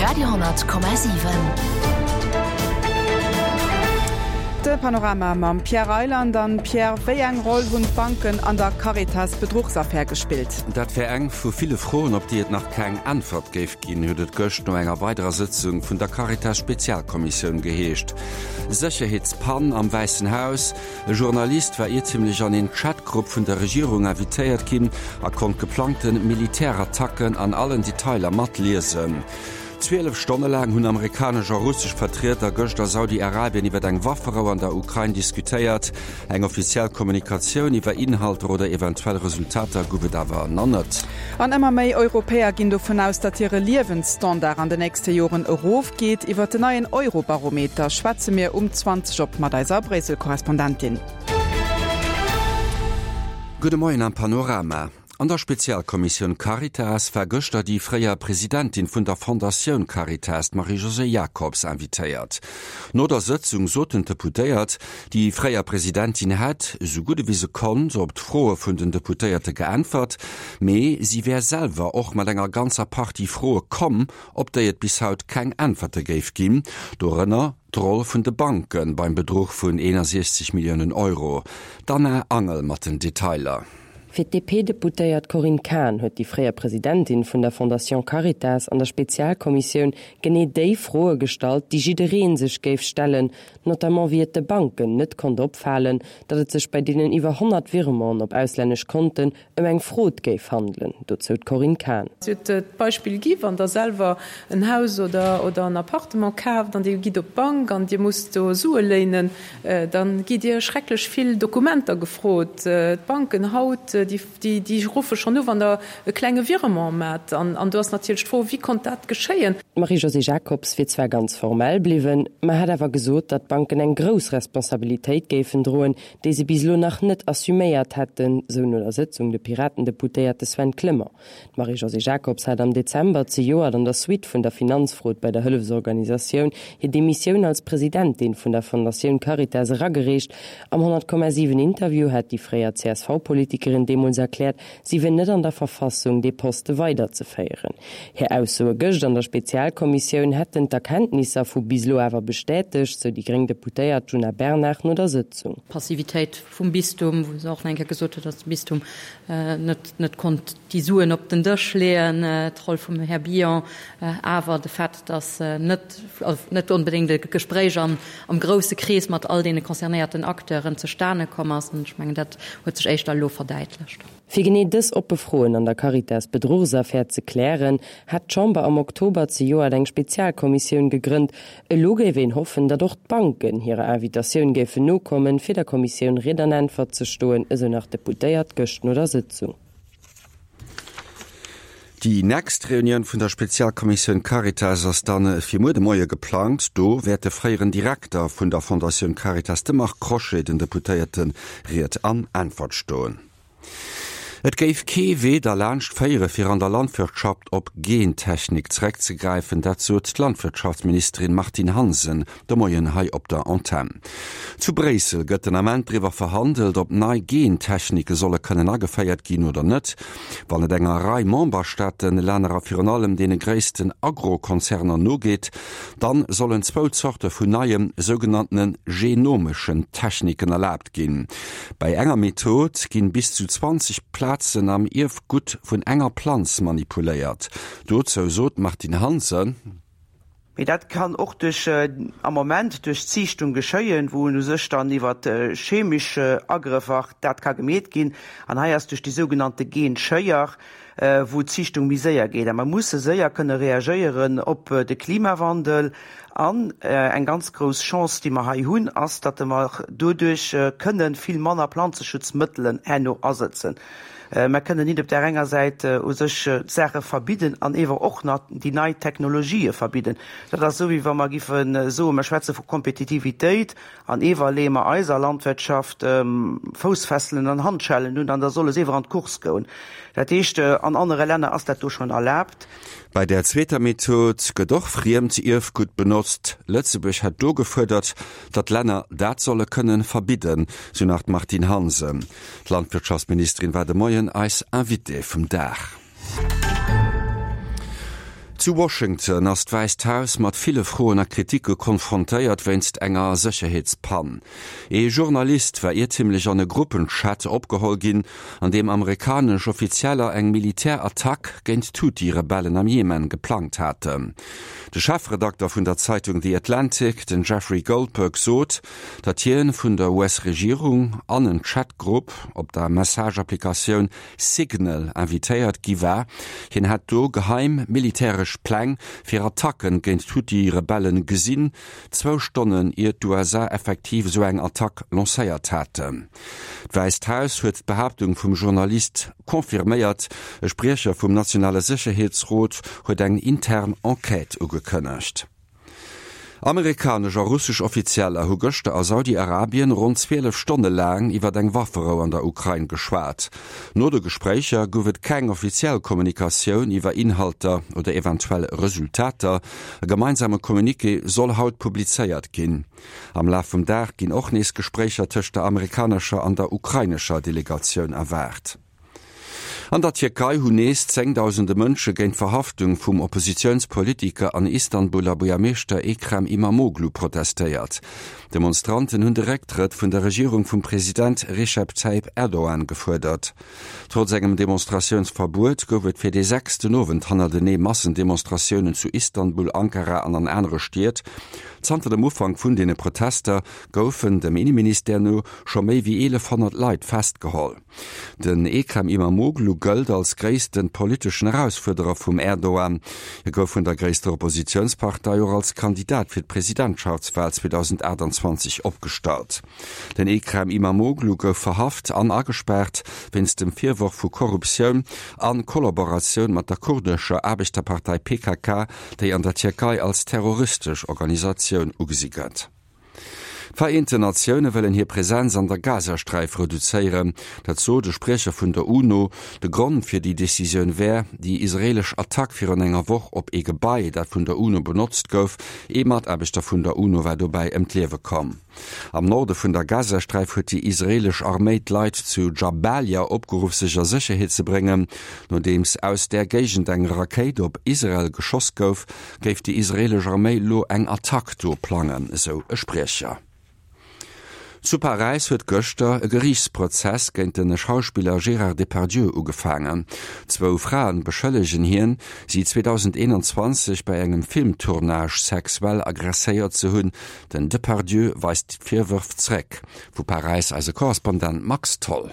Radio,7. De Panorama mam Pierre Reyland. An Pierre, wéi eng Roll hunn d'Banken an der Caritas-Bedruchsaffär gespillt? Dat wär eng vu ville Froen, op déi et nach keng Äntwert géif ginn, huet et gëscht no enger weiderer Sëtzung vun der Caritas-Spezialkommissioun geheescht. Sécherheetspann am Wäissen Haus, E Journalist war iertemlech an een Chatgrupp vun der Regierung invitéiert ginn a konnt geplangte Militärattacken an allen Detailer matliesen. 12 Stonne laang hunn amerikanesch a russesch Vertrieder gëscht a Saudi-Arabien iwwer eng Wafferou an der Ukrain diskutéiert. Eng offiziell Kommunikatioun iwwer Inhalter oder eventuell Resultater gouf et awer nach net. An ëmmer méi Europäer ginn dovun aus, datt hire Liewensstandard an den nächste Joren erofgeet. Iwwer den neien Eurobarometer schwätze mir um 20 op mat eiser Bréissel-Korrespondentin. Gudde Moien am Panorama. An der Spezialkommissioun Caritas war gëschter déi fréier Presidentin vun der Fondatioun Caritas, d'Marie-Josée Jacobs, invitéiert. No der Sëtzung soten d'Deputéiert, déi fréier Presidentin hätt, esou gutt ewéi se konnt, op d'Froe vun den Deputéierte geäntwert, mee si wär selwer och mat enger ganzer Partie Froe komm, op déi et bis haut keng Äntwerte géif ginn, dorënner d'Roll vun de Banke beim Bedruch vun 61 Milliounen Euro. D'Anna Angel mat den Detailer. Fir d'DP-Deputéiert Corinne Cahen huet déi fréier Presidentin vun der Fondation Caritas an der Spezialkommissioun genee déi Froe gestallt, déi jidderee sech géif stellen, notamment wéi et de Banken net konnt opfalen, datt et sech bei deenen iwwer 100 Virementen op auslännesch Konten ëm eng Frod géif handelen. Dozou d'Corinne Cahen. Si huet d'Beispill gi, wann Der selwer en Haus oder en Appartement kaaft an Dir gitt op d'Bank an Dir musst do Sue léinen, Da gitt Dir schrecklech vill Dokumenter gefrot. D'Banken haut, déi ruffe schonn u, wann Der e klenge Virement maacht. An do ass natierlech d'Fro, Wéi konnt dat geschéien? D'Marie-Josée Jacobs wier zwar ganz formell bliwwen, ma hätt awer gesot, datt d'Banken eng grouss Responsabilitéit géifen droen, déi se bis elo nach net assuméiert hätten, sou no der Sëtzung de Piraten-Deputéierte Sven Clement. D'Marie-Josée Jacobs hat am Dezember zejoert an der Suite vun der Finanzfrod bei der Hëllefsorganisatioun hir Demissioun als Presidentin vun der Fondatioun Caritas eragereecht. Am 100,7 Interview hat déi fréier CSV-Politikerin deemools erkläert, si wier net an der Verfassung, dee Poste weiderzeféieren. Hir Aussoe gëscht an der Spezialkommissioun hätten d'Erkenntnisser vu bis elo awer bestätegt, sou déi gréng Deputéiert Djuna Bernard no der Sëtzung. Passivitéit vum Bistum, wou se och nach eng Kéier gesot huet, datt de Bistum net net konnt déi Suen op den Dësch leeën, d'Roll vum Här Billon, awer de Fait, datt net, also net onbedéngt e Gespréich am am grousse Krees mat all deene concernéierten Acteuren zustane komm ass. An ech mengen, dat huet sech éischter elo verdäitlecht. Fir genee dës oppe Froen an der Caritas-Bedruchsaffär ze klären, hat d'Chamber am Oktober zejoert eng Spezialkommissioun gegrënnt. Elo géif een hoffen, datt och d'Banken hirer Invitatioun géifen nokommen, fir der Kommissioun Ried an Äntwert ze stoen, esou nach d'Deputéiert gëscht no der Sëtzung. Déi nächst Reunioun vun der Spezialkommissioun Caritas ass dann fir muer de Moie geplangt. Do wäert de fréieren Direkter vun der Fondatioun Caritas, de Marc Crochet, den Deputéierte Ried an Äntwert stoen. Et géif kee Wee derlaanscht féiere fir an der Landwirtschaft op Gentechnik zeréckzegräifen, dat sot d'Landwirtschaftsministerin Martine Hansen de Moien hei op der Antenn. Zu Bréissel gëtt den Ament driwwer verhandelt, ob nei Gentechnike solle kënnen ageféiert ginn oder net. Wann et enger Rei Memberstaaten, Länner a virun allem deene gréissten Agrokonzerner nogeet, dann sollen zwou Zorte vun neie sougenanntene genomeschen Techniken erlaabt ginn. Bei enger Method ginn bis zu 20 Plazen am Ierfgutt vun enger Planz manipuléiert. Dozou sot d'Martine Hansen. Mee dat kann och duerch, am Moment duerch d'Ziichtung geschéien, wou u sech dann iwwer chemesch Agrëffer dat ka gemeet ginn. An hei ass duerch déi sougenannte Genschéier, wou d'Ziichtung méi séier geet. A mer musse séier kënne reagéieren op de Klimawandel. An eng ganz grouss Chance, déi mer hei hunn, ass, datt mer doduerch kënne vill manner Planzeschutzmëttelen herno asëtzen. Mer kënnen nit op där enger Säit u sech d'Saache verbidden an ewer och nach déi nei Technologië verbidden. Dat ass esou, wéi wa mer giffe soen, mer schwätze vu Kompetitivitéit An ewer leeë mer eiser Landwirtschaft Foussfesselen an Handschellen un, an da solle se ewer an d'Course goen. Dat heescht, an anere Länner ass dat do schonn erlaabt. Bei där zweeter Method gëtt och friemt Ierfgutt benotzt. Lëtzebuerg hätt do gefuerdert, datt Länner dat solle kënnen verbidden, sou nach d'Martine Hansen. D'Landwirtschaftsministerin war de Moien eis Invitée vum Dag. Zu Washington ass d'Wäisst Haus mat ville Froen a Kriticke konfrontéiert wéinst enger Sécherheetspann. Ee Journalist war iertimlech an e Gruppenchat opgeholl ginn, an deem amerikanesch Offizieller eng Militärattack géint d'Huthi-Rebellen am Jemen geplangt haten. De Chefredakter vun der Zeitung The Atlantic, den Jeffrey Goldberg, sot, datt hien vun der US-Regierung an en Chatgrupp op der Message-Applikatioun Signal invitéiert gi war. Hien hätt do geheim militäresch Pläng fir Attacken géint d'Huthi-Rebellen gesinn, zwou Stonnen ier d'USA effektiv esou eng Attack lancéiert haten. D'Wäisst Haus huet d'Behaaptung vum Journalist confirméiert. E Spriecher vum nationale Sécherheetsrot huet eng intern Enquête ugekënnegt. Amerikanesch a russesch Offizieller hu gëschter a Saudi-Arabien ronn 12 Stonne laang iwwer eng Wafferou an der Ukrain geschwat. No de Gespréicher gouf et keng offiziell Kommunikatioun iwwer Inhalter oder eventuell Resultater. E gemeinsame Communiqué soll haut publizéiert ginn. Am Laf vum Dag ginn och nees Gespréicher tëscht der amerikanescher an der ukrainescher Delegatioun erwaart. An der Tierkei hunn nees zéngdausende Mënsche géint d'Verhaftung vum Oppositiounspolitiker an Istanbuler Buergermeeschter Ekrem Imamoglu protestéiert. D'Demonstranten hunn de Récktrëtt vun der Regierung vum President Recep Tayyip Erdogan gefuerdert. Trotz engem Demonstratiounsverbuet gouf et fir dee sechsten Owend hannertenee Massendemonstratiounen zu Istanbul, Ankara an an anere Stied. Zanter dem Ufank vun deene Protester goufen, dem Inneministère no, scho méi wéi 1.100 Leit festgeholl. Den Ekrem Imamoglu gëllt als gréisste politeschen Erausfuerderer vum Erdogan. Hie gouf vun der gréisster Oppositiounspartei och als Kandidat fir d'Presidentschaftswal 2028 opgestallt. Den Ekrem Imamoglu gouf verhaft an agespaart wéinst dem Virworf vu Korruptioun a Kollaboratioun mat der kurdescher Aarbechterpartei PKK, déi an der Tierkei als terroristesch Organisatioun ugesi gëtt. D'Vereenten Natioune wëllen hir Presenz an der Gazasträif reduzéieren. Dat sot e Spriecher vun der UNO. De Grond fir déi Decisioun wär déi israeelesch Attack virun enger Woch op ee Gebai, dat vun der UNO benotzt gouf. Ee Mataarbechter vun der UNO war dobäi ëm d'Liewe komm. Am Norde vun der Gazasträif huet déi israeelesch Arméi d'Leit zu Jabalia opgeruff, sech a Sécherheet ze bréngen, nodeems aus där Géigend eng Rakéit op Israel geschoss gouf. Géif déi israeelesch Arméi lo eng Attack do plangen, esou e Spriecher. Zu Paräis huet gëschter e Geriichtsprozess géint de Schauspiller Gérard Depardieu ugefaangen. Zwou Fraen beschëllegen hien, si 2021 bei engem Filmtournage sexuell agresséiert ze hunn. Den Depardieu weist d'Virwërf zeréck. Vu Paräis eise Korrespondent Max Tholl.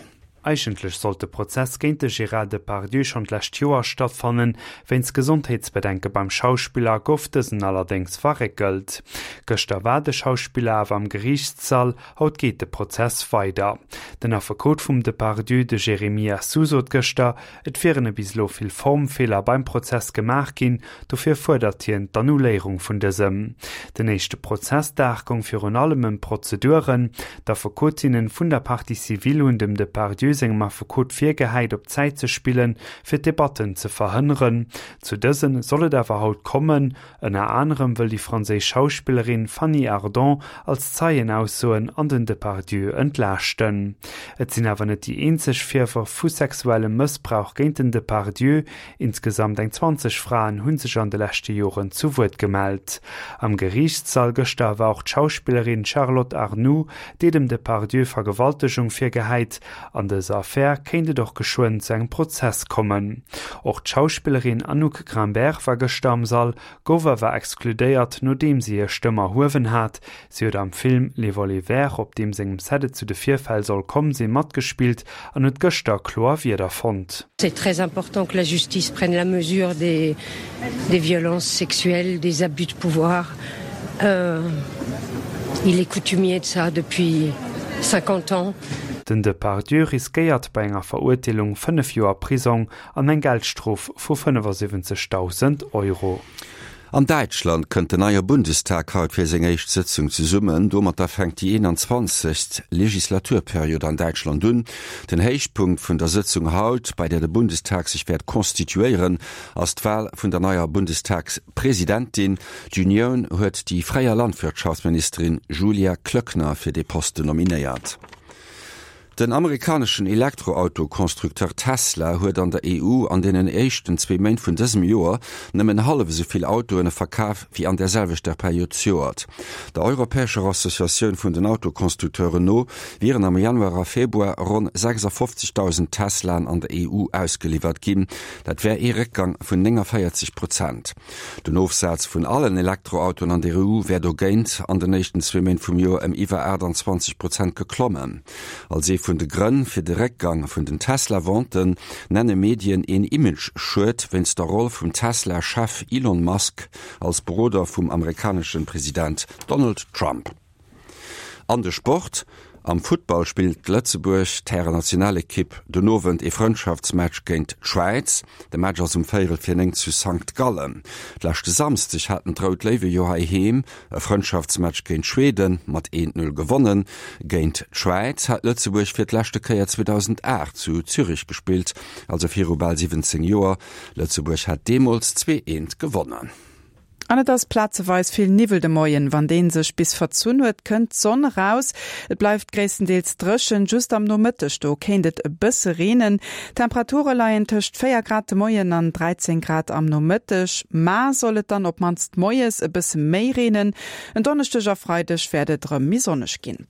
Eigentlech sollt de Prozess géint de Gérard Depardieu schonn d'lescht Joer stattfannen. Wéinst Gesondheetsbedenke beim Schauspiller gouf dësen allerdéngs verréckelt. Gëschter war de Schauspiller awer am Geriichtssall, haut geet de Prozess weider. Den Affekot vum Depardieu, de Jérémy Assou sot gëschter, et wieren e bis elo vill Formfeeler beim Prozess gemaach ginn, Dofir fuerdert hien d'Annuléierung vun dësem. Den éischte Prozessdag goung virun allem ëm d'Prozeduren. D'Affekotinnen vun der Partie civile hunn dem Depardieu sengem Affekot virgehäit, op Zäit ze spillen, fir d'Debatten ze verhënneren. Zu dëse soll et awer haut kommen. Ënner anerem wëll déi franséisch Schauspillerin Fanny Ardant als Zeien aussoen an den Depardieu entlaaschten. Et sinn awer net déi eenzeg Virwërf vu sexuellem Mëssbrauch géint den Depardieu. Insgesamt eng 20 Fraen hu sech an de leschte Joren zu Wuert gemellt. Am Geriichtssall gëschter war och d'Schauspillerin Charlotte Arnould, déi dem Depardieu Vergewaltegung virgehäit. An dëser Affär kéint et och geschwënn zu engem Prozess kommen. Och d'Schauspillerin Anouk Grimbert war gëschter am Sall, gouf awer exkludéiert, nodeem si hir Stëmm erhuewen hat. Si huet am Film Les Volets Verts, op deem sengem Set et zu de Virfäll soll komm sinn, matgespillt an huet gëschter kloer Wierder fonnt. C'est très important que la justice prenne la mesure des des violences sexuelles, des abus de pouvoir. Il est coutumier de ça depuis 50 ans. Den Depardieu riskéiert bei enger Verurteelung 5 Joer Prisong an eng Geldstrof vu 75.000 Euro. An Däitschland kënnt den neie Bundestag haut fir seng éischt Sëtzung zesummen. Domatter fänkt déi 21. Legislaturperiod an Däitschland un. Den Héichpunkt vun der Sëtzung haut, bei där de Bundestag sech wäert constituéieren, ass d'Wal vun der neier Bundestagspresidentin. D'Unioun huet déi fréier Landwirtschaftsministerin Julia Klöckner fir dee Posten nominéiert. Den amerikaneschen Elektroauto-Constructeur Tesla huet an der EU an deenen éischten zwee Méint vun dësem Joer nëmmen hallef esou vill Autoen verkaf wéi an där selwechter Period zejoert. Der europäescher Associatioun vun den Autoconstructeuren no wieren am Januar a Februar ronn 56.000 Teslaen an der EU ausgeliwwert ginn. Dat wär ee Réckgang vun 49 Prozent. Den Ofsaz vun allen Elektroautoen an der EU wär dogéint an den éischten zwee Méint vum Joer ëm iwwer 28 Prozent geklommen. Als ee vun de Grënn fir de Réckgang vun den Tesla-Venten nenne Medien een Image-Schued wéinst der Roll vum Tesla-Chef Elon Musk als Beroder vum amerikanesche President Donald Trump. An de Sport, Am Futtball spillt d'Lëtzebuerg d'Härennationalekipp den Owend ee Frëndschaftsmatch géint d'Schwäiz. De Match ass um véierel fir 9 zu Sankt Gallen. Leschte Samsdeg haten d'Rout Léiwe jo heiheem e Frëndschaftsmatch géint Schweden mat 1, 0 gewonnen. Géint d'Schwäiz hat Lëtzebuerg fir d'leschte Kéier 2008 zu Zürich gespillt, also viru bal 17 Joer. Lëtzebuerg hat deemools 2, 1 gewonnen. An et ass plazeweis vill Niwwel de Moien. Wann deen sech bis verzunn huet, kënnt d'Sonn eraus. Et bleift gréisstendeels dréchen, just am Nomëtteg do kéint et e bësse reenen. D'Temperature leien tëscht 4 Grad de Moien an 13 Grad am Nomëtteg. Mar soll et dann op mannst moies e bësse méi reenen. En Donneschdeg a Freideg wäert et erëm méi sonneg ginn.